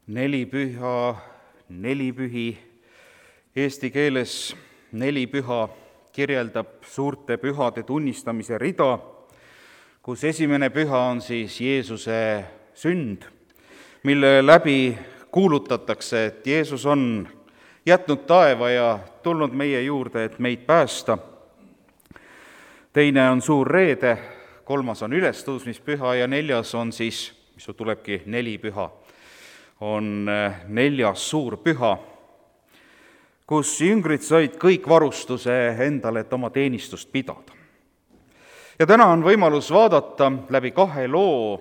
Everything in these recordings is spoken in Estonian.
Nelipüha, nelipühi, eesti keeles nelipüha kirjeldab suurte pühade tunnistamise rida, kus esimene püha on siis Jeesuse sünd, mille läbi kuulutatakse, et Jeesus on jätnud taeva ja tulnud meie juurde, et meid päästa. Teine on suur reede, kolmas on ülestõusmispüha ja neljas on siis, mis tulebki nelipüha, on neljas suur püha, kus jüngrid said kõik varustuse endale, et oma teenistust pidada. Ja täna on võimalus vaadata läbi kahe loo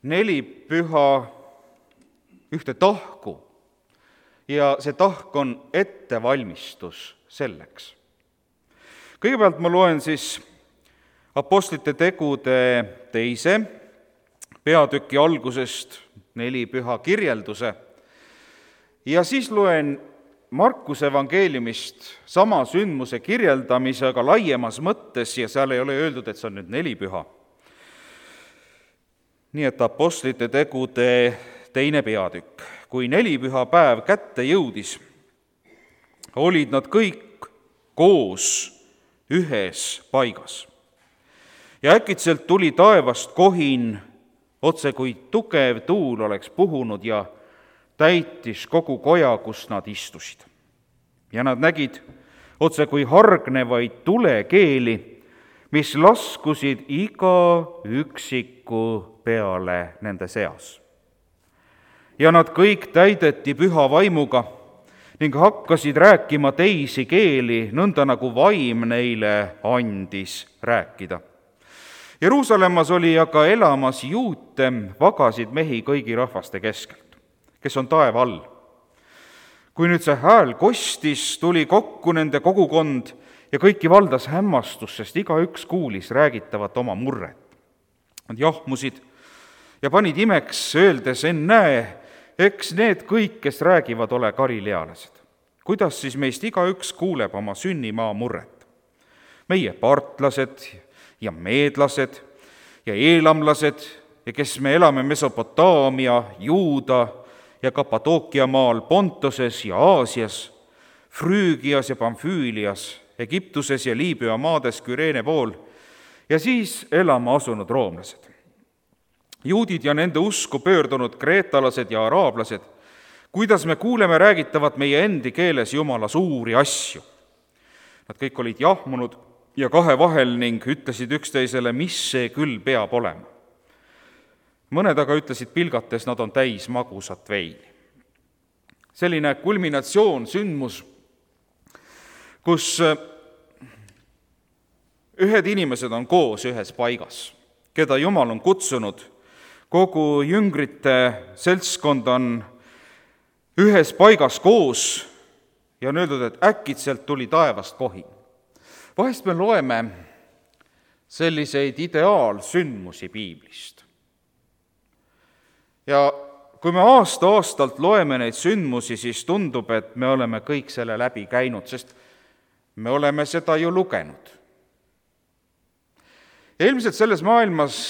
nelipüha ühte tahku ja see tahk on ettevalmistus selleks. Kõigepealt ma loen siis Apostlite tegude 2. peatüki algusest nelipüha kirjelduse ja siis loen Markuse evangeeliumist sama sündmuse kirjeldamise, aga laiemas mõttes ja seal ei ole öeldud, et see on nüüd nelipüha. Nii et Apostlite tegude 2. peatükk. Kui nelipüha päev kätte jõudis, olid nad kõik koos ühes paigas. Ja äkitselt tuli taevast kohin, otse kui tugev tuul oleks puhunud ja täitis kogu koja, kus nad istusid. Ja nad nägid otse kui hargnevaid tulekeeli, mis laskusid iga üksiku peale nende seas. Ja nad kõik täideti püha vaimuga ning hakkasid rääkima teisi keeli, nõnda nagu vaim neile andis rääkida. Jeruusalemmas oli aga elamas juute, vagasid mehi kõigi rahvaste keskelt, kes on taeva all. Kui nüüd see hääl kostis, tuli kokku nende kogukond ja kõiki valdas hämmastus, sest igaüks kuulis räägitavat oma murret. Nad jahmusid ja panid imeks, öeldes, ennäe, eks need kõik, kes räägivad, ole galilealased. Kuidas siis meist igaüks kuuleb oma sünnimaa murret? Meie partlased ja meedlased ja eelamlased ja kes me elame Mesopotaamia, Juuda ja Kapadookia maal, Pontoses ja Aasias, Früügias ja Pamfüülias, Egiptuses ja Liibüa maades Küreene pool ja siis elama asunud roomlased. Juudid ja nende usku pöördunud kreetalased ja araablased, kuidas me kuuleme räägitavat meie endi keeles Jumala suuri asju. Nad kõik olid jahmunud ja kahe vahel ning ütlesid üksteisele, mis see küll peab olema. Mõned aga ütlesid pilgates, nad on täis magusat veini. Selline kulminatsioon, sündmus, kus ühed inimesed on koos ühes paigas, keda Jumal on kutsunud, kogu jüngrite seltskond on ühes paigas koos ja on öeldud, et äkitselt tuli taevast kohin. Vahest me loeme selliseid ideaalsündmusi piiblist. Ja kui me aasta-aastalt loeme neid sündmusi, siis tundub, et me oleme kõik selle läbi käinud, sest me oleme seda ju lugenud. Ja ilmselt selles maailmas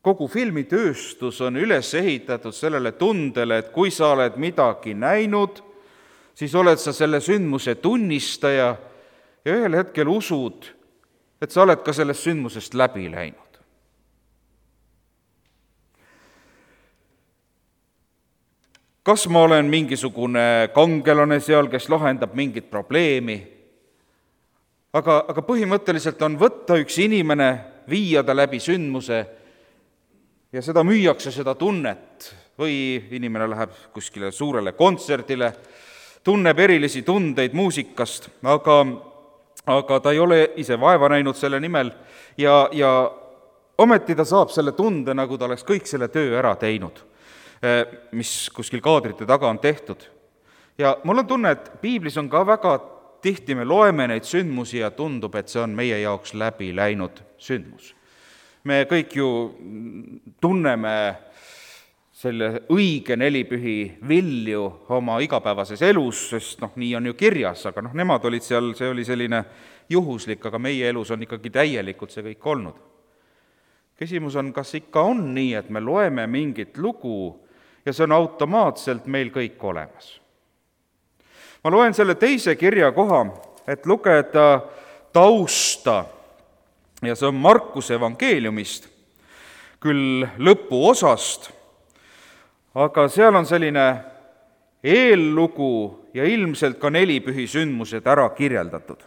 kogu filmitööstus on üles ehitatud sellele tundele, et kui sa oled midagi näinud, siis oled sa selle sündmuse tunnistaja ja ühel hetkel usud, et sa oled ka sellest sündmusest läbi läinud. Kas ma olen mingisugune kangelane seal, kes lahendab mingit probleemi? Aga põhimõtteliselt on võtta üks inimene, viia ta läbi sündmuse ja seda müüakse, seda tunnet. Või inimene läheb kuskile suurele kontserdile, tunneb erilisi tundeid muusikast, aga ta ei ole ise vaeva näinud selle nimel ja ometi ta saab selle tunde, nagu ta oleks kõik selle töö ära teinud, mis kuskil kaadrite taga on tehtud. Ja mul on tunne, et piiblis on ka väga tihti me loeme neid sündmusi ja tundub, et see on meie jaoks läbi läinud sündmus. Me kõik ju tunneme selle õige nelipühi vilju oma igapäevases elus, sest nii on ju kirjas, aga nemad olid seal, see oli selline juhuslik, aga meie elus on ikkagi täielikult see kõik olnud. Küsimus on, kas ikka on nii, et me loeme mingit lugu ja see on automaatselt meil kõik olemas. Ma loen selle teise kirjakoha, et lugeda tausta ja see on Markuse evangeeliumist, küll lõpuosast, aga seal on selline eellugu ja ilmselt ka nelipühi sündmused ära kirjeldatud.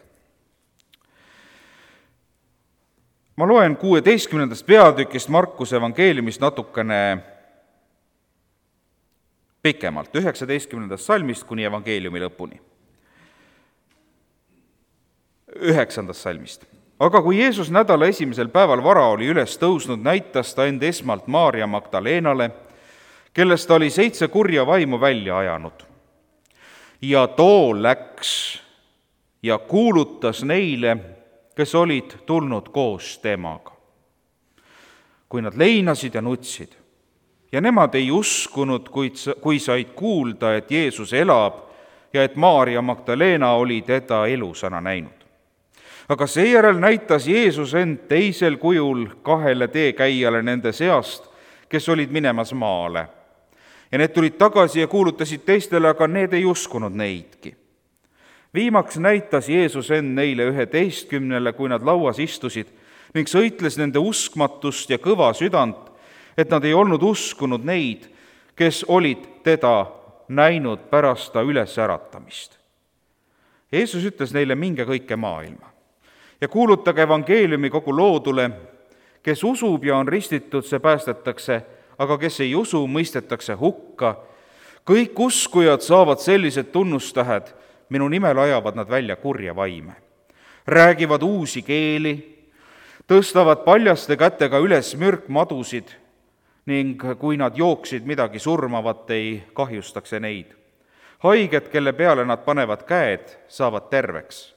Ma loen 16. peatükist Markuse evangeeliumist natukene pikemalt, 19. salmist kuni evangeeliumi lõpuni. 9. salmist. Aga kui Jeesus nädala esimesel päeval vara oli üles tõusnud, näitas ta end esmalt Maarja Magdaleenale, kellest ta oli 7 kurja vaimu välja ajanud. Ja too läks ja kuulutas neile, kes olid tulnud koos temaga. Kui nad leinasid ja nutsid, ja nemad ei uskunud, kui said kuulda, et Jeesus elab ja et Maarja Magdaleena oli teda elusana näinud. Aga seejärel näitas Jeesus end teisel kujul 2 teekäijale nende seast, kes olid minemas maale. Ja need tulid tagasi ja kuulutasid teistele, aga need ei uskunud neidki. Viimaks näitas Jeesus end neile 11, kui nad lauas istusid, ning sõitles nende uskmatust ja kõva südant, et nad ei olnud uskunud neid, kes olid teda näinud pärast ta ülesäratamist. Jeesus ütles neile, minge kõike maailma ja kuulutage evangeeliumi kogu loodule, kes usub ja on ristitud, see päästetakse, aga kes ei usu, mõistetakse hukka. Kõik uskujad saavad sellised tunnustähed, minu nimel ajavad nad välja kurja vaime. Räägivad uusi keeli, tõstavad paljaste kätega üles mürkmadusid ning kui nad jooksid midagi surmavat, ei kahjustaks neid. Haiged, kelle peale nad panevad käed, saavad terveks.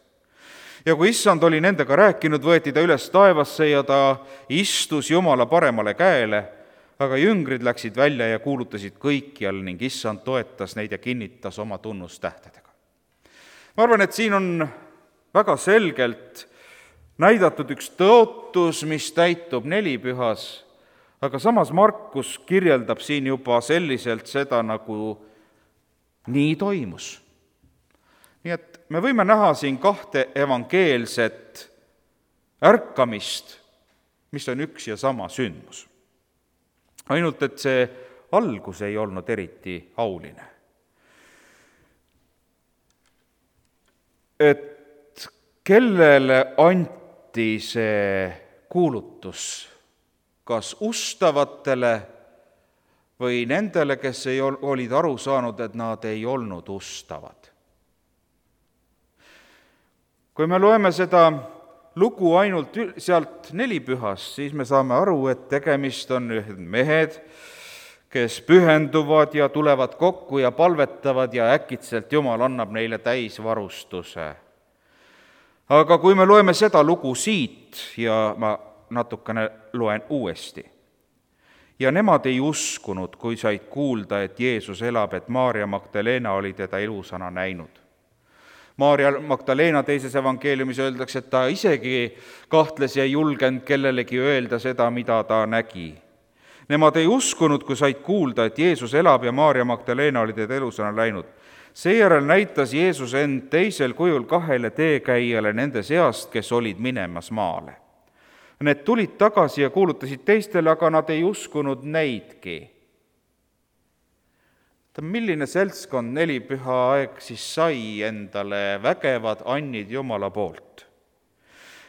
Ja kui issand oli nendega rääkinud, võeti ta üles taevasse ja ta istus Jumala paremale käele, aga jüngrid läksid välja ja kuulutasid kõikjal ning issand toetas neid ja kinnitas oma tunnustähtedega. Ma arvan, et siin on väga selgelt näidatud üks tõotus, mis täitub nelipühas, aga samas Markus kirjeldab siin juba selliselt seda, nagu nii toimus. Nii et me võime näha siin 2 evangeelset ärkamist, mis on üks ja sama sündmus. Ainult, et see algus ei olnud eriti auline. Et kellele anti see kuulutus, kas ustavatele või nendele, kes olid aru saanud, et nad ei olnud ustavad. Kui me loeme seda lugu ainult sealt nelipühast, siis me saame aru, et tegemist on mehed, kes pühenduvad ja tulevad kokku ja palvetavad ja äkitselt Jumal annab neile täisvarustuse. Aga kui me loeme seda lugu siit ja ma natukene loen uuesti. Ja nemad ei uskunud, kui said kuulda, et Jeesus elab, et Maarja Magdaleena oli teda elusana näinud. Maarja Magdaleena teises evangeeliumis öeldakse, et ta isegi kahtles ja ei julgenud kellelegi öelda seda, mida ta nägi. Nemad ei uskunud, kui said kuulda, et Jeesus elab ja Maarja Magdaleena oli teda elusana läinud. Seejärel näitas Jeesus end teisel kujul 2 teekäijale nende seast, kes olid minemas maale. Need tulid tagasi ja kuulutasid teistele, aga nad ei uskunud neidki. Milline seltskond nelipüha aeg siis sai endale vägevad annid Jumala poolt?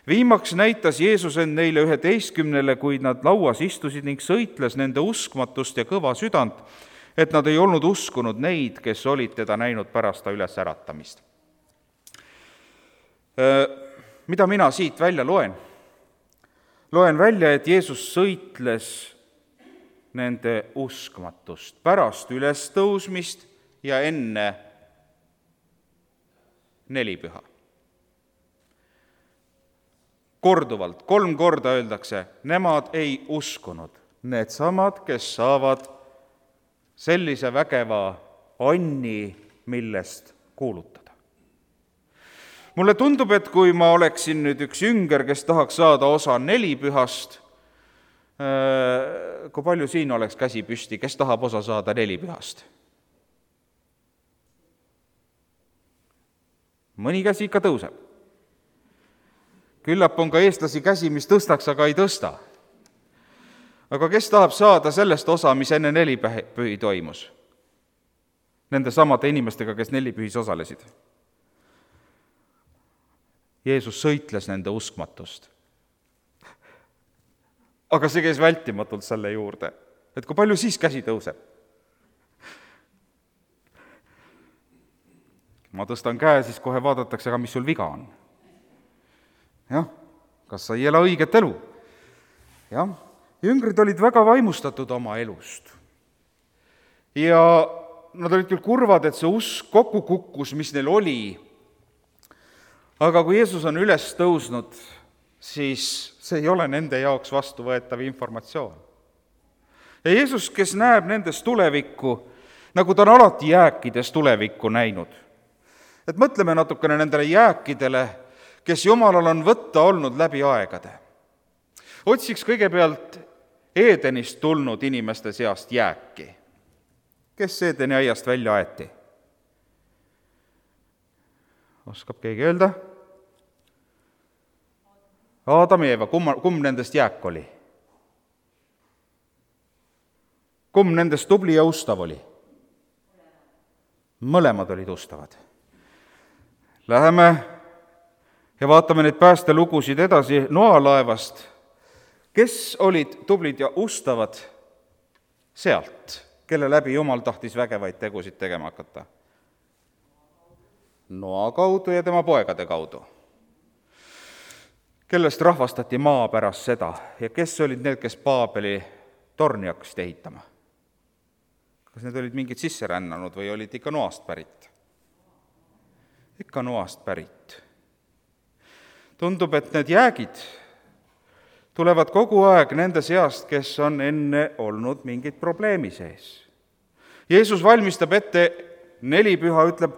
Viimaks näitas Jeesus end neile 11, kui nad lauas istusid ning sõitles nende uskmatust ja kõva südant, et nad ei olnud uskunud neid, kes olid teda näinud pärast ta ülesäratamist. Mida mina siit välja loen? Loen välja, et Jeesus sõitles nende uskmatust pärast ülestõusmist ja enne nelipüha. Korduvalt, 3 korda öeldakse, nemad ei uskunud. Needsamad, kes saavad sellise vägeva anni, millest kuulutada. Mulle tundub, et kui ma oleksin nüüd üks jünger, kes tahaks saada osa nelipühast, Kui palju siin oleks käsi püsti, kes tahab osa saada nelipühast? Mõni käsi ikka tõuseb. Küllap on ka eestlasi käsi, mis tõstaks, aga ei tõsta. Aga kes tahab saada sellest osa, mis enne nelipühi toimus? Nende samade inimestega, kes nelipühis osalesid. Jeesus sõitles nende uskmatust. Aga see käis vältimatult selle juurde, et kui palju siis käsi tõuseb. Ma tõstan käe, siis kohe vaadatakse, aga mis sul viga on. Jah, kas sa ei ela õiget elu? Jah, jüngrid olid väga vaimustatud oma elust. Ja nad olid küll kurvad, et see usk kokku kukkus, mis neil oli. Aga kui Jeesus on üles tõusnud, siis see ei ole nende jaoks vastuvõetav informatsioon. Ja Jeesus, kes näeb nendes tulevikku, nagu ta on alati jääkides tulevikku näinud. Et mõtleme natukene nendele jääkidele, kes Jumalal on võtta olnud läbi aegade. Otsiks kõigepealt Eedenist tulnud inimeste seast jääki. Kes Eedeni aiast välja aeti? Oskab keegi öelda? Aadam ja Eeva, kumb nendest jääk oli? Kumb nendest tubli ja ustav oli? Mõlemad olid ustavad. Läheme ja vaatame neid päästelugusid edasi Noalaevast. Kes olid tublid ja ustavad sealt, kelle läbi Jumal tahtis vägevaid tegusid tegema hakata? Noa kaudu ja tema poegade kaudu, kellest rahvastati maa pärast seda ja kes olid need, kes Paabeli torni hakkasid ehitama? Kas need olid mingid sisserännanud või olid ikka Noast pärit? Ikka Noast pärit. Tundub, et need jäägid tulevad kogu aeg nende seast, kes on enne olnud mingid probleemi sees. Jeesus valmistab ette nelipüha, ütleb,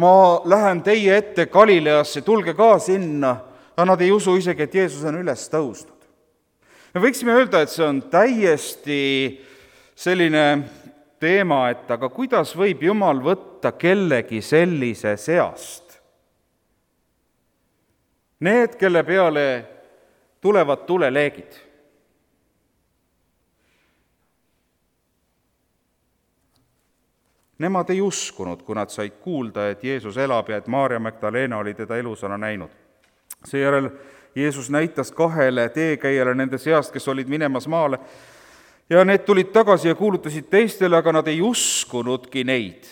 ma lähen teie ette Galileasse, tulge ka sinna, aga nad ei usu isegi, et Jeesus on üles tõusnud. Me võiksime öelda, et see on täiesti selline teema, et aga kuidas võib Jumal võtta kellegi sellise seast? Need, kelle peale tulevad tuleleegid. Nemad ei uskunud, kui nad said kuulda, et Jeesus elab ja et Maarja Magdalena oli teda elusana näinud. Seejärel Jeesus näitas 2 teekäijale nende seast, kes olid minemas maale, ja need tulid tagasi ja kuulutasid teistele, aga nad ei uskunudki neid.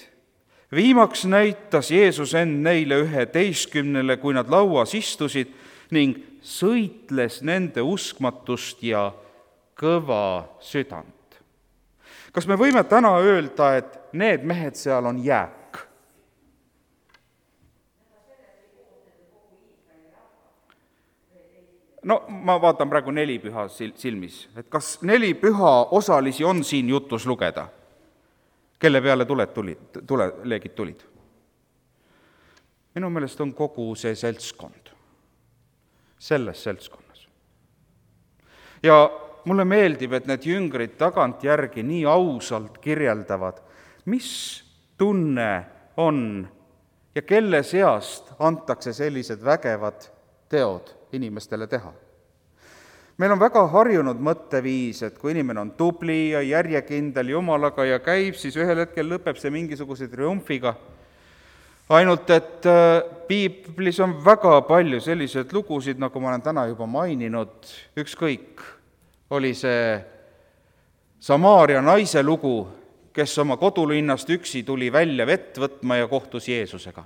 Viimaks näitas Jeesus end neile 11, kui nad lauas istusid, ning sõitles nende uskmatust ja kõva südant. Kas me võime täna öelda, et need mehed seal on jääk? No ma vaatan praegu nelipüha silmis, et kas nelipüha osalisi on siin jutus lugeda, kelle peale tuleleegid tulid? Minu meelest on kogu see seltskond, selles seltskonnas. Ja mulle meeldib, et need jüngrid tagantjärgi nii ausalt kirjeldavad, mis tunne on ja kelle seast antakse sellised vägevad teod inimestele teha. Meil on väga harjunud mõtteviis, et kui inimene on tubli ja järjekindel Jumalaga ja käib, siis ühel hetkel lõpeb see mingisuguse triumfiga. Ainult, et piiblis on väga palju selliseid lugusid, nagu ma olen täna juba maininud, ükskõik, oli see Samaaria naise lugu, kes oma kodulinnast üksi tuli välja vett võtma ja kohtus Jeesusega.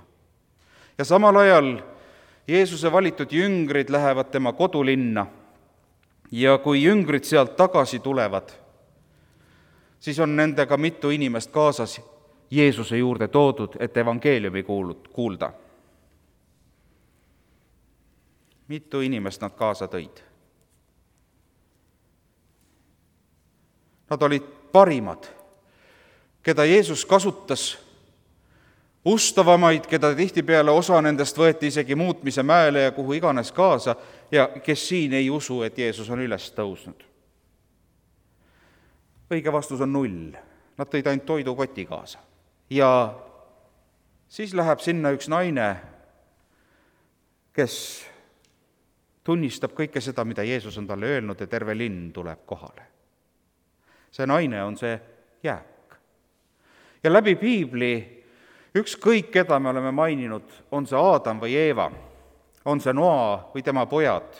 Ja samal ajal Jeesuse valitud jüngrid lähevad tema kodulinna ja kui jüngrid sealt tagasi tulevad, siis on nendega mitu inimest kaasas Jeesuse juurde toodud, et evangeeliumi kuulda. Mitu inimest nad kaasa tõid? Nad olid parimad, keda Jeesus kasutas, ustavamaid, keda tihtipeale osa nendest võeti isegi muutmise mäele ja kuhu iganes kaasa ja kes siin ei usu, et Jeesus on üles tõusnud. õige vastus on 0. Nad tõid ainult toidukoti kaasa. Ja siis läheb sinna üks naine, kes tunnistab kõike seda, mida Jeesus on talle öelnud, ja terve linn tuleb kohale. See naine on see jääk. Ja läbi piibli ükskõik, keda me oleme maininud, on see Aadam või Eeva, on see Noa või tema pojad,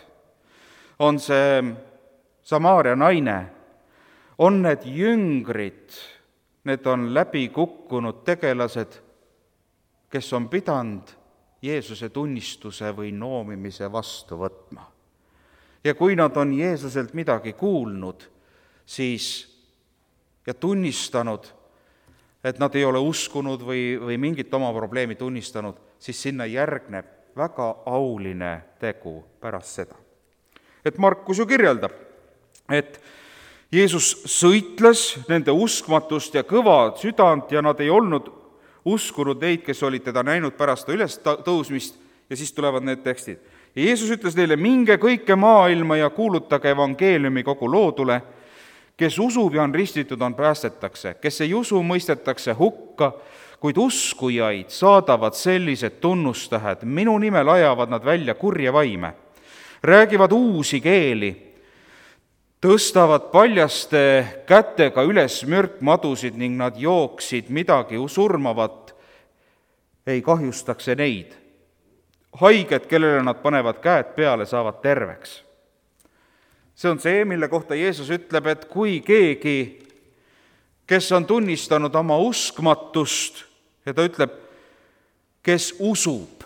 on see Samaaria naine, on need jüngrid, need on läbi kukkunud tegelased, kes on pidanud Jeesuse tunnistuse või noomimise vastu võtma. Ja kui nad on Jeesuselt midagi kuulnud, siis ja tunnistanud, et nad ei ole uskunud või mingit oma probleemi tunnistanud, siis sinna järgneb väga auline tegu pärast seda. Et Markus ju kirjeldab, et Jeesus sõitles nende uskmatust ja kõva südant ja nad ei olnud uskunud neid, kes olid teda näinud pärast üles tõusmist, ja siis tulevad need tekstid. Ja Jeesus ütles neile, minge kõike maailma ja kuulutage evangeeliumi kogu loodule. Kes usub ja on ristitud, on päästetakse. Kes ei usu, mõistetakse hukka, kuid uskujaid saadavad sellised tunnustähed. Minu nimel ajavad nad välja kurje vaime. Räägivad uusi keeli. Tõstavad paljaste kätega üles mürkmadusid ning nad jooksid midagi surmavat, ei kahjustaks neid. Haiged, kellele nad panevad käed peale, saavad terveks. See on see, mille kohta Jeesus ütleb, et kui keegi, kes on tunnistanud oma uskmatust, ja ta ütleb, kes usub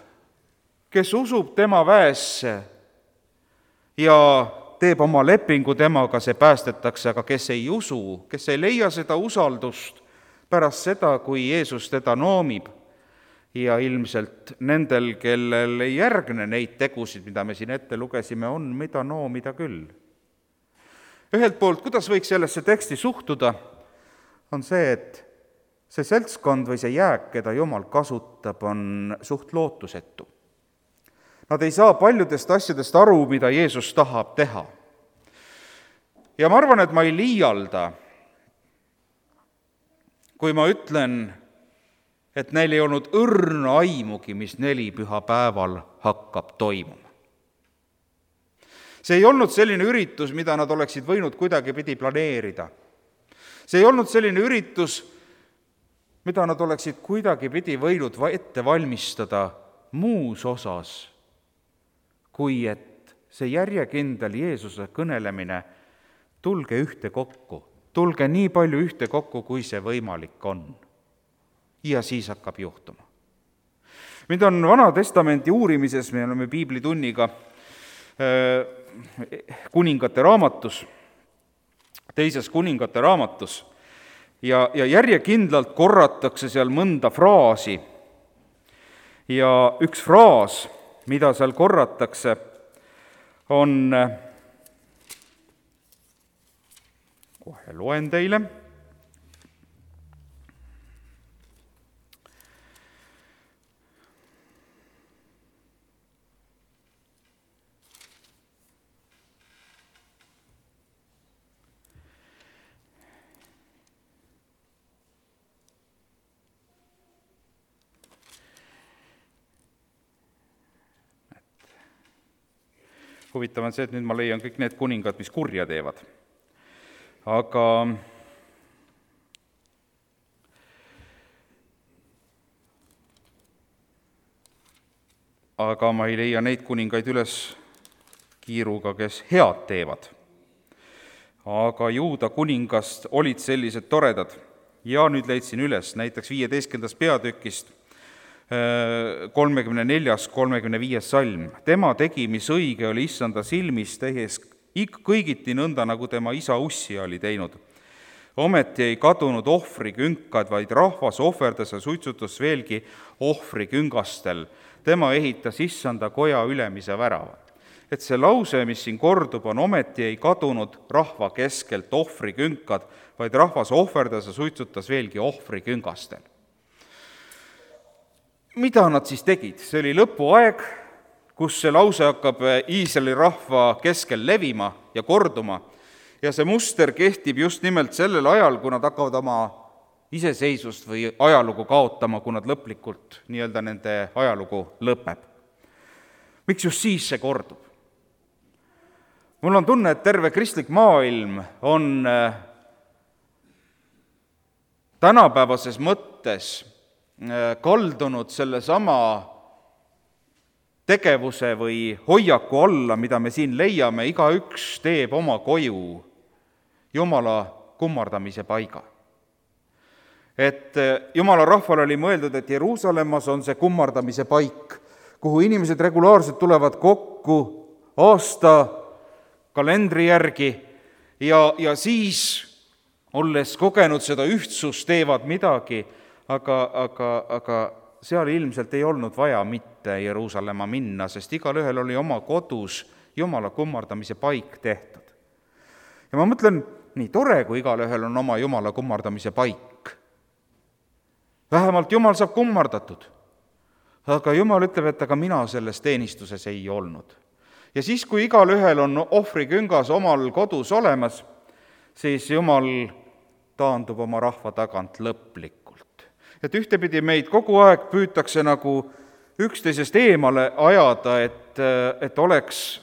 tema väesse ja teeb oma lepingu temaga, see päästetakse, aga kes ei usu, kes ei leia seda usaldust pärast seda, kui Jeesus teda noomib, ja ilmselt nendel, kellel ei järgne neid tegusid, mida me siin ette lugesime, on mida noomida küll. Ühelt poolt, kuidas võiks sellesse teksti suhtuda, on see, et see seltskond või see jääk, keda Jumal kasutab, on suht lootusetu. Nad ei saa paljudest asjadest aru, mida Jeesus tahab teha. Ja ma arvan, et ma ei liialda, kui ma ütlen, et neil ei olnud õrna aimugi, mis 4 pühapäeval hakkab toimuma. See ei olnud selline üritus, mida nad oleksid võinud kuidagipidi planeerida. See ei olnud selline üritus, mida nad oleksid kuidagipidi võinud ette valmistada muus osas, kui et see järjekindel Jeesuse kõnelemine, tulge ühte kokku, tulge nii palju ühte kokku, kui see võimalik on. Ja siis hakkab juhtuma. Mind on Vana Testamenti uurimises, me oleme piiblitunniga kuningate raamatus, 2. kuningate raamatus, ja järjekindlalt korratakse seal mõnda fraasi. Ja üks fraas, mida seal korratakse, on, kohe loen teile, huvitav on see, et nüüd ma leian kõik need kuningad, mis kurja teevad. Aga ma ei leia neid kuningaid üles kiiruga, kes head teevad. Aga Juuda kuningast olid sellised toredad. Ja nüüd leidsin üles näiteks 15. peatükist 34-35 salm. Tema tegi, mis õige oli issanda silmis, tehes kõigiti nõnda, nagu tema isa Ussia oli teinud. Ometi ei kadunud ohvrikünkad, vaid rahvas ohverdas ja suitsutas veelgi ohvriküngastel. Tema ehitas issanda koja ülemise värava. Et see lause, mis siin kordub, on ometi ei kadunud rahva keskelt ohvrikünkad, vaid rahvas ohverdas ja suitsutas veelgi ohvriküngastel. Mida nad siis tegid? See oli lõpuaeg, kus see lause hakkab Iisraeli rahva keskel levima ja korduma, ja see muster kehtib just nimelt sellel ajal, kui nad hakkavad oma iseseisvust või ajalugu kaotama, kui nad lõplikult nii-öelda nende ajalugu lõpeb. Miks just siis see kordub? Mul on tunne, et terve kristlik maailm on tänapäevases mõttes kaldunud sellesama tegevuse või hoiaku alla, mida me siin leiame, igaüks teeb oma koju Jumala kummardamise paiga. Et Jumala rahval oli mõeldud, et Jeruusalemmas on see kummardamise paik, kuhu inimesed regulaarselt tulevad kokku aasta kalendri järgi ja siis, olles kogenud seda ühtsust, teevad midagi, aga seal ilmselt ei olnud vaja mitte Jeruusalemma minna, sest igalühel oli oma kodus Jumala kummardamise paik tehtud. Ja ma mõtlen, nii tore, kui igalühel on oma Jumala kummardamise paik. Vähemalt Jumal saab kummardatud. Aga Jumal ütleb, et aga mina selles teenistuses ei olnud. Ja siis, kui igalühel on ohvriküngas omal kodus olemas, siis Jumal taandub oma rahva tagant lõplikult. Et ühtepidi meid kogu aeg püütakse nagu üksteisest eemale ajada, et oleks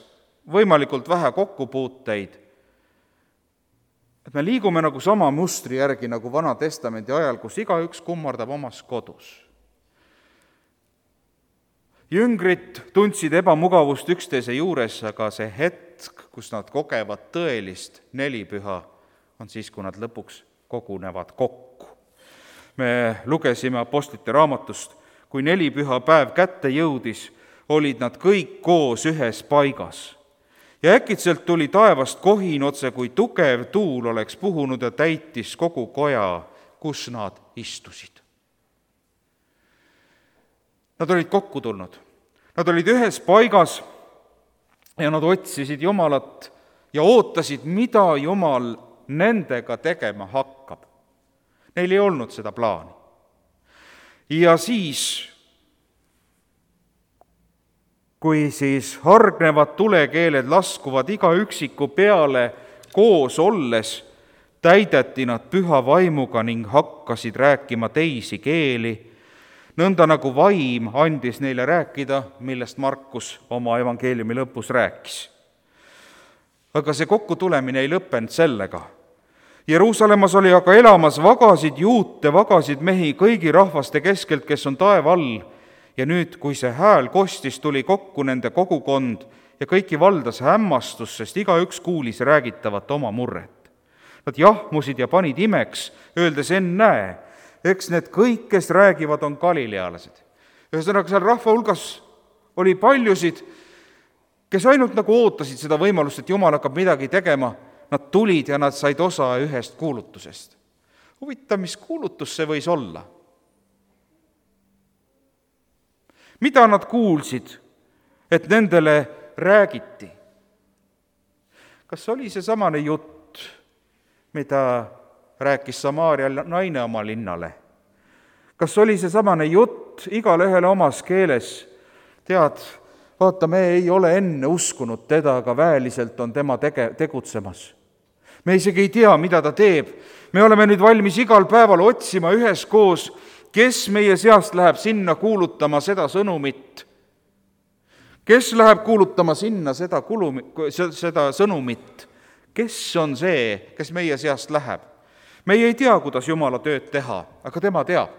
võimalikult vähe kokkupuuteid. Et me liigume nagu sama mustri järgi nagu Vana Testamendi ajal, kus igaüks kummardab omas kodus. Jüngrid tundsid ebamugavust üksteise juures, aga see hetk, kus nad kogevad tõelist nelipüha, on siis, kui nad lõpuks kogunevad kokku. Me lugesime Apostlite raamatust, kui nelipüha päev kätte jõudis, olid nad kõik koos ühes paigas. Ja äkitselt tuli taevast kohin otse, kui tugev tuul oleks puhunud ja täitis kogu koja, kus nad istusid. Nad olid kokku tulnud. Nad olid ühes paigas ja nad otsisid Jumalat ja ootasid, mida Jumal nendega tegema hakkab. Neil ei olnud seda plaani. Ja siis, kui siis hargnevad tulekeeled laskuvad iga üksiku peale koos olles, täideti nad püha vaimuga ning hakkasid rääkima teisi keeli, nõnda nagu vaim andis neile rääkida, millest Markus oma evangeeliumi lõpus rääkis. Aga see kokkutulemine ei lõppenud sellega. Jeruusalemmas oli aga elamas vagasid juute, vagasid mehi kõigi rahvaste keskelt, kes on taeva all, ja nüüd, kui see hääl kostis, tuli kokku nende kogukond ja kõiki valdas hämmastus, sest igaüks kuulis räägitavat oma murret. Nad jahmusid ja panid imeks, öeldes, ennäe, eks need kõik, kes räägivad, on galilealased. Ühesõnaga, seal rahva hulgas oli paljusid, kes ainult nagu ootasid seda võimalust, et Jumal hakkab midagi tegema. Nad tulid ja nad said osa ühest kuulutusest. Huvitav, mis kuulutus see võis olla? Mida nad kuulsid, et nendele räägiti? Kas oli see samane jutt, mida rääkis Samaaria naine oma linnale? Kas oli see samane jutt igale ühele omas keeles? Tead, vaata, me ei ole enne uskunud teda, aga väeliselt on tema tegutsemas. Me isegi ei tea, mida ta teeb. Me oleme nüüd valmis igal päeval otsima üheskoos, kes meie seast läheb sinna kuulutama seda sõnumit. Kes läheb kuulutama sinna seda sõnumit? Kes on see, kes meie seast läheb? Meie ei tea, kuidas Jumala tööd teha, aga tema teab.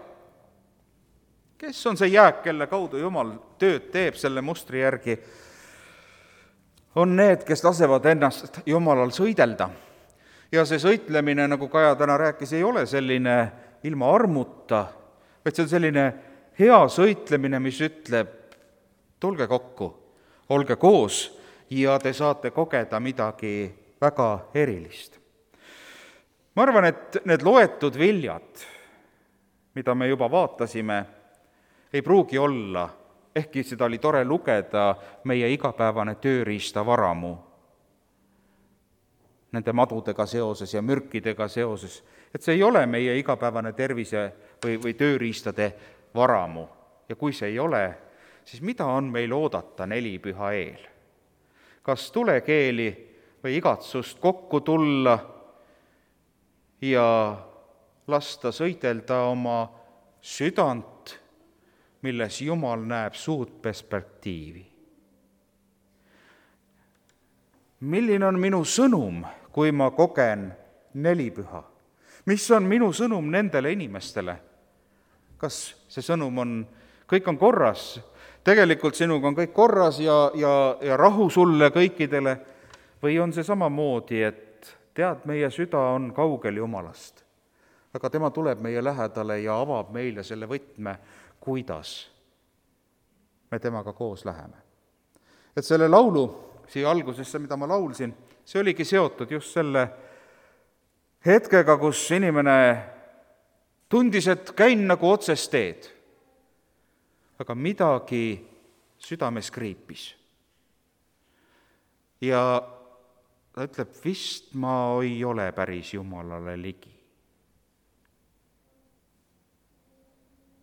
Kes on see jääk, kelle kaudu Jumal tööd teeb selle mustri järgi? On need, kes lasevad ennast Jumalal sõidelda. Ja see sõitlemine, nagu Kaja täna rääkis, ei ole selline ilma armuta, vaid see on selline hea sõitlemine, mis ütleb, tulge kokku, olge koos ja te saate kogeda midagi väga erilist. Ma arvan, et need loetud viljad, mida me juba vaatasime, ei pruugi olla, ehkki seda oli tore lugeda, meie igapäevane tööriistavaramu nende madudega seoses ja mürkidega seoses, et see ei ole meie igapäevane tervise või tööriistade varamu. Ja kui see ei ole, siis mida on meil oodata nelipüha eel? Kas tulekeeli või igatsust kokku tulla ja lasta sõidelda oma südant, milles Jumal näeb suurt perspektiivi. Milline on minu sõnum, kui ma kogen nelipüha? Mis on minu sõnum nendele inimestele? Kas see sõnum on, kõik on korras, tegelikult sinuga on kõik korras ja rahu sulle kõikidele, või on see samamoodi, et tead, meie süda on kaugel Jumalast, aga tema tuleb meie lähedale ja avab meile selle võtme, kuidas me temaga koos läheme. Et selle laulu siia algusesse, mida ma laulsin, see oligi seotud just selle hetkega, kus inimene tundis, et käin nagu otsest teed, aga midagi südames kriipis. Ja ta ütleb, vist ma ei ole päris Jumalale ligi.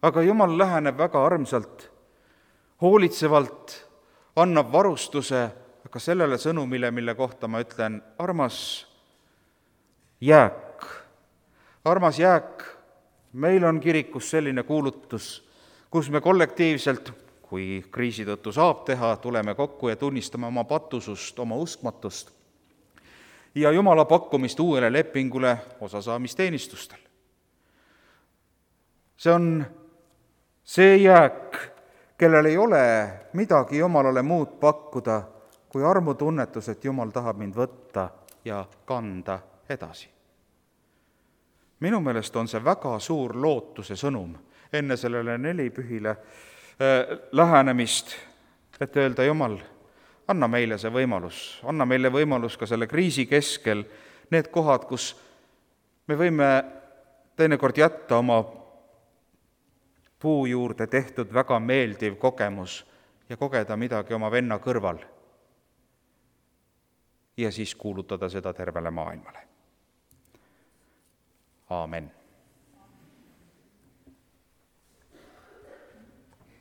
Aga Jumal läheneb väga armsalt, hoolitsevalt, annab varustuse, aga sellele sõnumile, mille kohta ma ütlen, armas jääk, meil on kirikus selline kuulutus, kus me kollektiivselt, kui kriisi tõttu saab teha, tuleme kokku ja tunnistame oma patusust, oma uskmatust ja Jumala pakkumist uuele lepingule osasaamisteenistustel. See on see jääk, kellel ei ole midagi Jumalale muud pakkuda, kui armutunnetus, et Jumal tahab mind võtta ja kanda edasi. Minu meelest on see väga suur lootuse sõnum enne sellele nelipühile lähenemist, et öelda, Jumal, anna meile see võimalus, anna meile võimalus ka selle kriisi keskel, need kohad, kus me võime teinekord jätta oma puu juurde tehtud väga meeldiv kogemus ja kogeda midagi oma venna kõrval ja siis kuulutada seda tervele maailmale. Aamen.